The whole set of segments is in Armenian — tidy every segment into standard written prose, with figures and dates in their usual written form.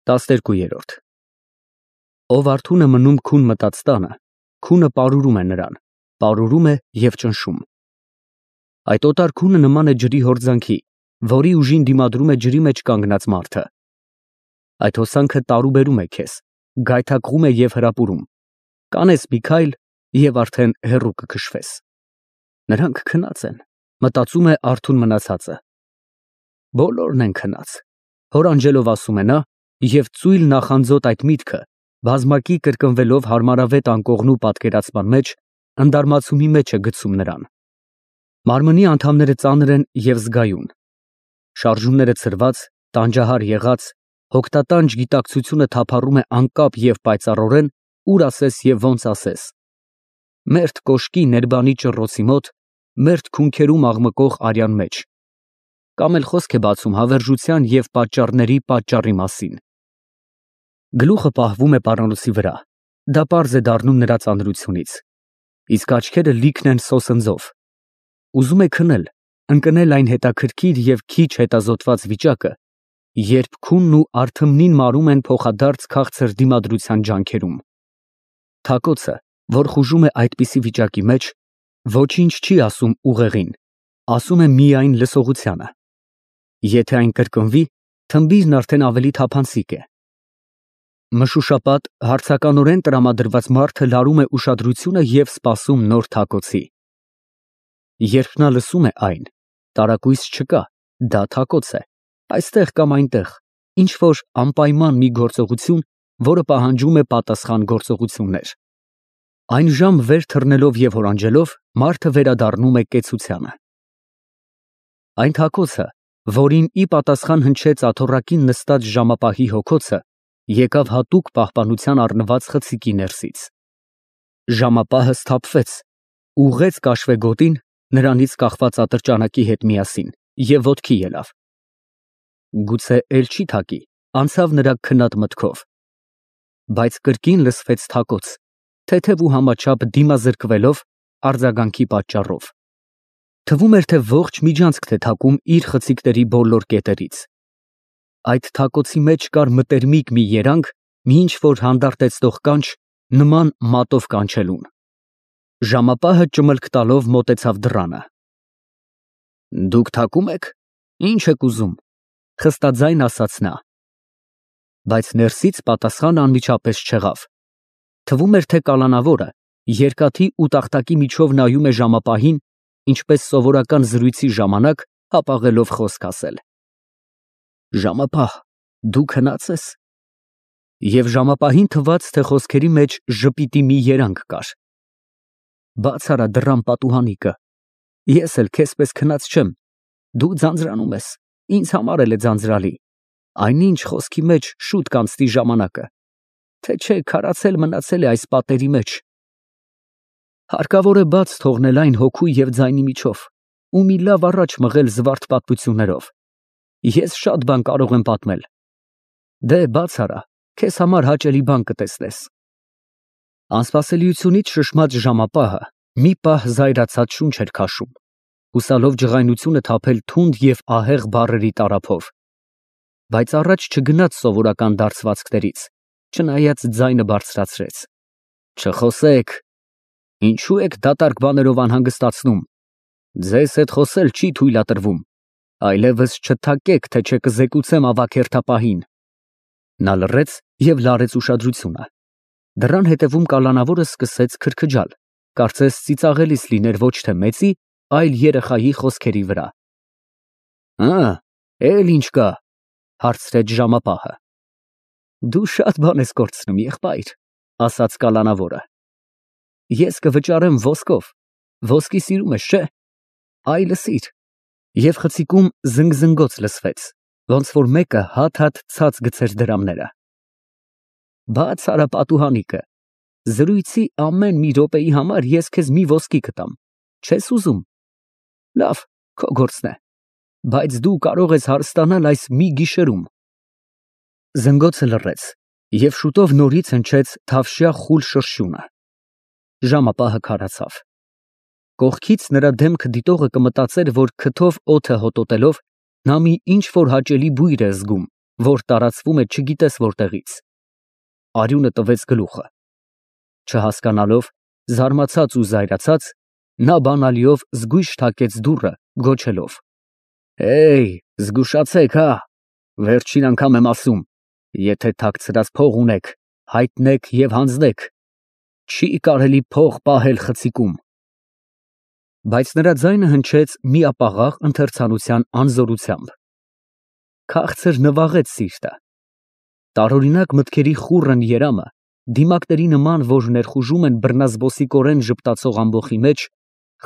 12-րդ Ով արթուն է մնում քուն մտած տանը, քունը պարուրում է նրան, պարուրում է և ճնշում։ Այդ օտար քունը նման է ջրի հորձանքի, որի ուժին դիմադրում է ջրի մեջ կանգնած մարդը։ Այդ հոսանքը տարուբերում է քեզ, գայթակղում է և հրապուրում, կանես մի քայլ և արդեն հեռու կքշվես։ Նրանք քնած են, մտածում է արթուն մնացածը։ Բոլորն են քնած, հոր անջելով ասում է նա, և ծույլ նախանձոտ այդ միտքը, բազմակի կրկնվելով հարմարավետ անկողնու պատկերացման մեջ, ընդարմացումի մեջ է գցում նրան։ Մարմնի անդամները ծանր են և զգայուն, շարժումները ցրված, տանջահար եղած, հոգտատանջ գիտակցությունը թափառում է անկապ և պայծառորեն, ուր ասես և ոնց ասես։ Մերթ կոշկի ներբանի ճռռոցի մոտ, մերթ քունքերում աղմկող արյան մեջ, կամ էլ խոսք է բացում հավերժության և պատճառների պատճառի մասին։ Գլուխը պահվում է պարանոցի վրա, դա պարզ է դառնում նրա ծանրությունից, իսկ աչքերը լիքն են սոսնձով։ Ուզում է քնել, ընկնել այն հետաքրքիր և քիչ հետազոտված վիճակը, երբ քունն ու արթմնին մարում են փոխադարձ քաղցր դիմադրության ջանքերում։ Թակոցը, որ խուժում է այդպիսի վիճակի մեջ, ոչինչ չի ասում ուղեղին, ասում է միայն լսողությանը։ Եթե այն կրկնվի, թմբիրն արդեն ավելի թափանցիկ է։ Մշուշապատ, հարցականորեն տրամադրված մարդը լարում է ուշադրությունը և սպասում նոր թակոցի։ Երբ նա լսում է այն, տարակույս չկա, դա թակոց է, այստեղ կամ այնտեղ, ինչ-որ անպայման մի գործողություն, որը պահանջում է պատասխան գործողություններ։ Այն ժամ վեր թռնելով և հորանջելով, մարդը վերադառնում է կեցությանը։ Այն թակոցը, որին ի պատասխան հնչեց աթոռակին նստած ժամապահի հոգոցը, եկավ հատուկ պահպանության առնված խցիկի ներսից։ Ժամապահը սթափվեց, ուղղեց կաշվեգոտին, նրանից կախված ատրճանակի հետ միասին, և ոտքի ելավ։ Գուցե էլ չի թակի, անցավ նրա քնած մտքով։ Բայց կրկին լսվեց թակոց, թեթև ու համաչափ դիմազրկվելով արձագանքի պատճառով։ Թվում էր, թե ողջ միջանցքն է թակում իր խցիկների բոլոր կետերից։ Այդ թակոցի մեջ կար մտերմիկ մի երանգ, մի ինչ-որ հանդարտեցնող կանչ, նման մատով կանչելուն։ Ժամապահը ճմլք տալով մոտեցավ դռանը։ «Դուք թակում եք, ինչ եք ուզում», խստաձայն ասաց նա։ Բայց ներսից պատասխան անմիջապես չեղավ։ Թվում էր, թե կալանավորը երկաթի ու տախտակի միջով նայում է ժամապահին, ինչպես սովորական զրույցի ժամանակ հապաղելով խոսք ասել։ «Ժամապահ, դու քնա՞ծ ես»։ Եվ ժամապահին թվաց, թե խոսքերի մեջ ժպիտի մի երանգ կար։ «Բաց արա դռան պատուհանիկը, ես էլ քեզպես քնած չեմ, դու ձանձրանում ես, ինձ համար էլ է ձանձրալի, այնինչ խոսքի մեջ շուտ կանցնի ժամանակը, թե չէ քարացել մնացել է այս պատերի մեջ։ Հարկավոր է բաց թողնել այն հոգու և ձայնի միջով ու մի լավ առաջ մղել զվարթ պատմություններով։ Ես շատ բան կարող եմ պատմել։ Դե բաց արա, քեզ համար հաճելի բան կտեսնես»։ Անսպասելիությունից շշմած ժամապահը մի պահ զայրացած շունչ էր քաշում, հուսալով ջղայնությունը թափել թունդ և ահեղ բառերի տարափով, բայց առաջ չգնաց սովորական դարձվածքներից, չնայած ձայնը բարձրացրեց։ «Չխոսեք, ինչու եք դատարկ բաներով անհանգստացնում, ձեզ հետ խոսել չի թույլատրվում, այլևս չթակեք, թե չէ կզեկուցեմ ավագ հերթապահին»։ Նա լռեց և լարեց ուշադրությունը։ Դռան հետևում կալանավորը սկսեց քրքջալ, կարծես ծիծաղելիս լիներ ոչ թե մեծի, այլ երեխայի խոսքերի վրա։ Էլ ինչ կա, հարցրեց ժամապահը։ Դու շատ բան ես կորցնում, եղբայր, ասաց կալանավորը։ Ես կվճարեմ ոսկով, ոսկի սիրում ես, չէ՞։ Այ լսիր։ Եվ խցիկում զնգզնգոց լսվեց, ոնց որ մեկը հատ-հատ ցած գցեր դրամները։ Բաց արա պատուհանիկը, զրույցի ամեն մի րոպեի համար ես քեզ մի ոսկի կտամ, չես ուզում։ Լավ, քո գործն է, բայց դու կարող ես հարստանալ այս մի գիշերում։ Զնգոցը լռեց, և շուտով նորից հնչեց թավշյա խուլ շրշյունը։ Ժամապահը քարացավ։ Կողքից նրա դեմքը դիտողը կմտածեր, որ քթով օդը հոտոտելով, նա մի ինչ֊որ հաճելի բույր է զգում, որ տարածվում է չգիտես որտեղից։ Արյունը տվեց գլուխը։ Չհասկանալով, զարմացած ու զայրացած, նա բանալիով զգույշ թակեց դուռը, գոչելով. «Հեյ, զգուշացեք, հա, վերջին անգամ եմ ասում, եթե թաքցրած փող ունեք, հայտնեք և հանձնեք, չի կարելի փող պահել խցիկում»։ Բայց նրա ձայնը հնչեց միապաղաղ ընթերցանության անզորությամբ։ Քաղցր նվաղեց սիրտը։ Տարօրինակ մտքերի խուռն երամը, դիմակների նման, որ ներխուժում են բռնազբոսիկորեն ժպտացող ամբոխի մեջ,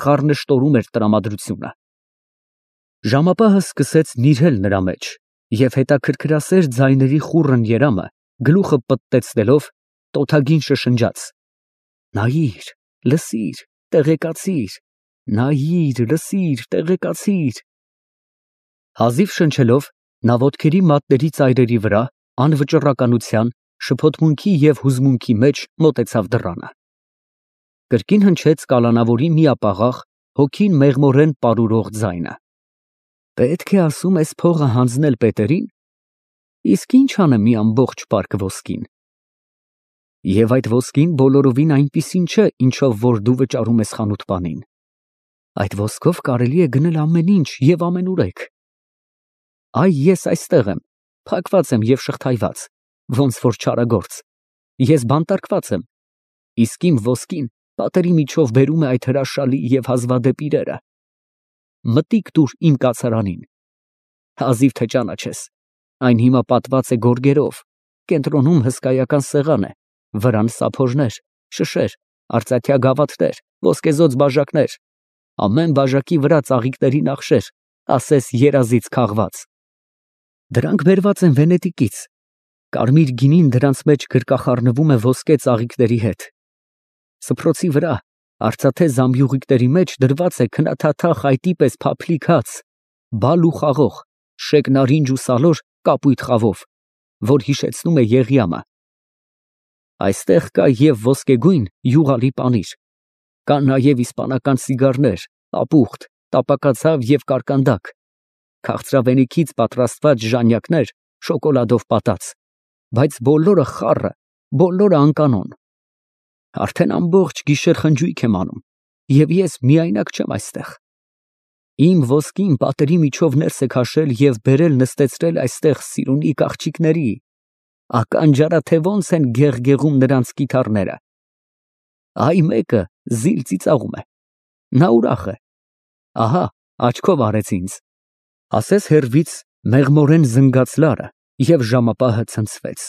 խառնշտորում էր տրամադրությունը։ Ժամապահը սկսեց նիրհել նրա մեջ, և հետաքրքրասեր ձայների խուռն երամը, գլուխը պտտեցնելով, տոթագին շշնջաց. «Նայիր, լսիր, տեղեկացիր, նայիր, լսիր, տեղեկացիր»։ Հազիվ շնչելով, նա ոտքերի մատների ծայրերի վրա, անվճռականության, շփոթմունքի և հուզմունքի մեջ մոտեցավ դռանը։ Կրկին հնչեց կալանավորի միապաղաղ, հոգին մեղմորեն պարուրող ձայնը. «Պետք է ասում ես փողը հանձնել Պետերին, իսկ ի՞նչ անեմ մի ամբողջ պարկ ոսկին։ Եվ այդ ոսկին բոլորովին այնպիսին չէ, ինչով որ դու վճարում ես խանութպանին. այդ ոսկով կարելի է գնել ամեն ինչ և ամենուրեք։ Այ ես այստեղ եմ, փակված եմ և շղթայված, ոնց որ չարագործ, ես բանտարկված եմ, իսկ իմ ոսկին պատերի միջով բերում է այդ հրաշալի և հազվադեպ իրերը։ Մտիկ տուր իմ կացարանին, հազիվ թե ճանաչես, այն հիմա պատված է գորգերով, կենտրոնում հսկայական սեղան է, վրան սափորներ, շշեր, արծաթյա գավաթներ, ոսկեզօծ բաժակներ, ամեն բաժակի վրա ծաղիկների նախշեր, ասես երազից քաղված։ Դրանք բերված են Վենետիկից, կարմիր գինին դրանց մեջ գրկախառնվում է ոսկե ծաղիկների հետ։ Սփռոցի վրա, արծաթե զամբյուղիկների մեջ դրված է քնաթաթա խայտի պես փափլիկ հաց, բալ ու խաղող, շեկ նարինջ ու սալոր կապույտ խավով, որ հիշեցնում է Եղիամը։ Այստեղ կա և ոսկեգույն յուղալի պանիր, կան նաև իսպանական սիգարներ, ապուխտ, տապակացավ և կարկանդակ, քաղցրավենիքից պատրաստված ժանյակներ շոկոլադով պատած, բայց բոլորը խառը, բոլորը անկանոն։ Արդեն ամբողջ գիշեր խնջույք եմ անում, և ես միայնակ չեմ այստեղ։ Իմ ոսկին պատերի միջով ներս է քաշել և բերել նստեցրել այստեղ սիրունիկ աղջիկների, ականջարա, թե ոնց են գեղգեղում նրանց կիթառները։ Այ մեկը զիլ ծիծաղում է, նա ուրախ է, ահա աչքով արեց ինձ, ասես հեռվից մեղմորեն զնգաց լարը, և ժամապահը ցնցվեց։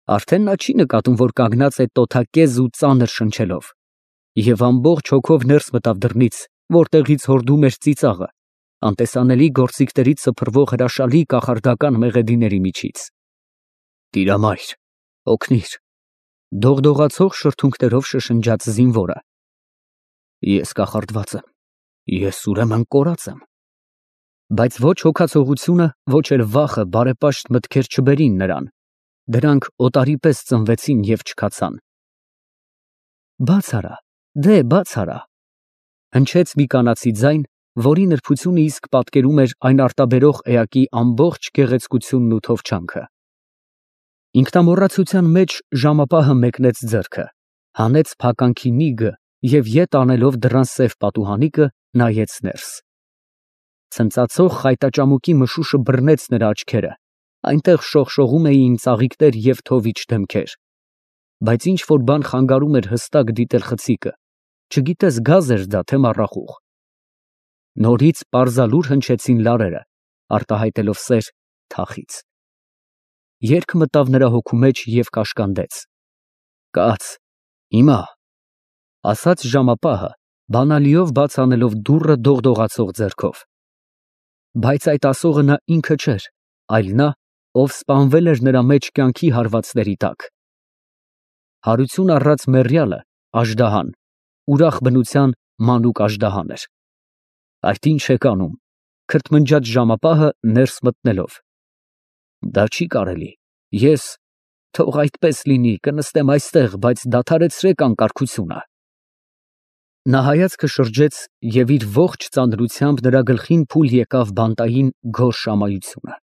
Արդեն նա չի նկատում, որ կանգնած է տոթակեզ ու ծանր շնչելով, և ամբողջ հոգով ներս մտավ դռնից, որտեղից հորդում էր ծիծաղը, անտեսանելի գործիքներից սփռվող հրաշալի կախարդական մեղեդիների միջից։ «Տիրամայր, օգնիր», դողդողացող շրթունքներով շշնջաց զինվորը։ «Ես կախարդված եմ, ես ուրեմն կորած եմ»։ Բայց ոչ հոգացողությունը, ոչ էլ վախը բարեպաշտ մտքեր չբերին նրան, դրանք օտարի պես ծնվեցին և չքացան։ «Բաց արա, դե բաց արա», հնչեց մի կանացի ձայն, որի նրբությունը իսկ պատկերում էր այն արտաբերող էակի ամբողջ գեղեցկությունն ու թովչանքը։ Ինքնամոռացության մեջ ժամապահը մեկնեց ձեռքը, հանեց փականքի նիգը և ետ անելով դռան սև պատուհանիկը, նայեց ներս։ Ցնծացող խայտաճամուկի մշուշը բռնեց նրա աչքերը, այնտեղ շողշողում էին ծաղիկներ և թովիչ դեմքեր, բայց ինչ֊որ բան խանգարում էր հստակ դիտել խցիկը, չգիտես գազ էր դա, թե մառախուղ։ Նորից պարզալուր հնչեցին լարերը, արտահայտելով սեր թախից։ Երգ մտավ նրա հոգու մեջ և կաշկանդեց։ «Կաց, հիմա», ասաց ժամապահը, բանալիով բաց անելով դուռը դողդողացող ձեռքով։ Բայց այդ ասողը նա ինքը չէր, այլ նա, ով սպանվել էր նրա մեջ կյանքի հարվածների տակ։ Հարություն առած մեռյալը, աժդահան, ուրախ բնության մանուկ աժդահան էր։ «Այդ ի՞նչ եք անում», քրթմնջաց ժամապահը ներս մտնելով։ «Դա չի կարելի, ես, թող այդպես լինի, կնստեմ այստեղ, բայց դադարեցրեք անկարգությունը»։ Նա հայացքը շրջեց և իր ողջ ծանրությամբ նրա գլխին փուլ եկավ բանտային գորշ ամայությունը։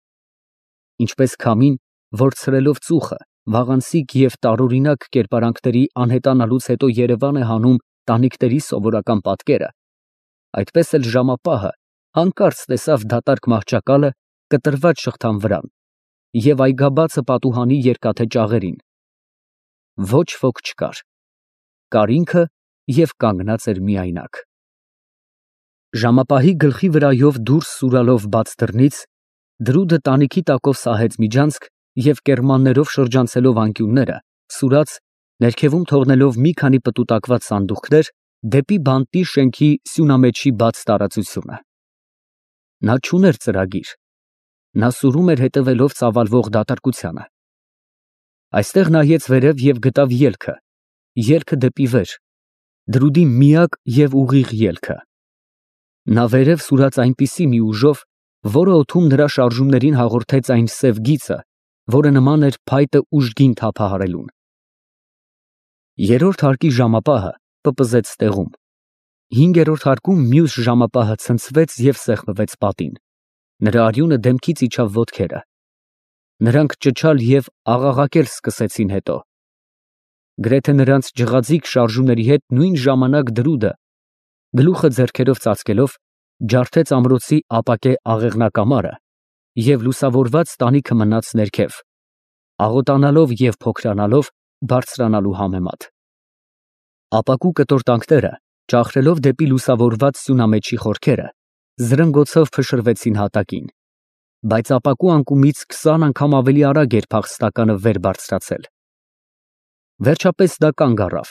ինչպես քամին, որ ցրելով ծուխը, վաղանցիկ և տարօրինակ կերպարանքների անհետանալուց հետո երևան է հանում տանիքների սովորական պատկերը, այդպես էլ ժամապահը հանկարծ տեսավ դատարկ մահճակալը կտրված շղթան վրան և այգաբացը պատուհանի երկաթե ճաղերին. ոչ ոք չկար, կար ինքը և կանգնած էր միայնակ։ Ժամապահի գլխի վրայով դուրս սուրալով բաց դռնից դրուդը տանիքի տակով սահեց միջանցք և կեռմաններով շրջանցելով անկյունները, սուրաց, ներքևում թողնելով մի քանի պտուտակված սանդուղքներ, դեպի բանտի շենքի սյունամեջի բաց տարածությունը։ Նա չուներ ծրագիր, նա սուրում էր հետևելով ծավալվող դատարկությանը։ Այստեղ նայեց վերև և գտավ ելքը դեպի վեր, դրուդի միակ և ուղիղ ելքը։ Նա վերև սուրաց այնպիսի մի ուժով, որը օդում նրա շարժումներին հաղորդեց այն սև գիծը, որը նման էր փայտը ուժգին թափահարելուն։ Երրորդ հարկի ժամապահը պպզեց տեղում, հինգերորդ հարկում մյուս ժամապահը ցնցվեց և սեղմվեց պատին, նրա արյունը դեմքից իջավ ոտքերը։ Նրանք ճչալ և աղաղակել սկսեցին հետո։ Գրեթե նրանց ջղաձիգ շարժումների հետ նույն ժամանակ դրուդը, գլուխը ձեռքերով ծածկելով, ջարդեց ամրոցի ապակե աղեղնակամարը և լուսավորված տանիքը մնաց ներքև, աղոտանալով և փոքրանալով բարձրանալու համեմատ։ Ապակու կտոր տանքները, ճախրելով դեպի լուսավորված սյունամեջի խորքերը, զրնգոցով փշրվեցին հատակին, բայց ապակու անկումից 20 անգամ ավելի արագ էր փախստականը վեր բարձրացել։ Վերջապես դա կանգ առավ,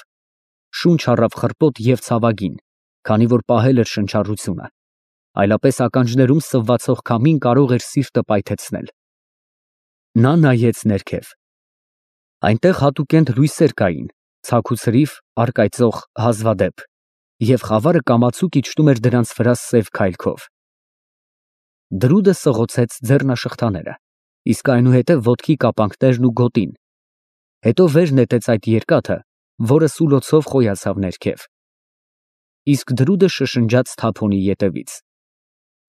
շունչ առավ խռպոտ և ցավագին, քանի որ պահել էր շնչառությունը, այլապես ականջներում սվվացող քամին կարող էր սիրտը պայթեցնել։ Նա նայեց ներքև։ Այնտեղ հատուկենտ լույսեր կային, ցաք ու ցրիվ, առկայծող, հազվադեպ, և խավարը կամացուկ իջնում էր դրանց վրա սև քայլքով։ Դրուդը սղոցեց ձեռնաշղթաները, իսկ այնուհետև ոտքի կապանքներն ու գոտին, հետո վեր նետեց այդ երկաթը, որը սուլոցով խոյացավ ներքև։ Իսկ դրուդը շշնջաց թափոնի ետևից.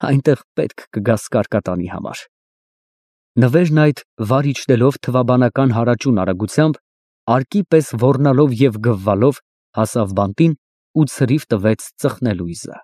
այնտեղ պետք կգաս կարկատանի համար։ Նվերն այդ վար իջնելով թվաբանական հարաճուն արագությամբ, արկի պես ոռնալով և գվվալով հասավ բանտին ու ցրիվ տվեց ծխնելույզը։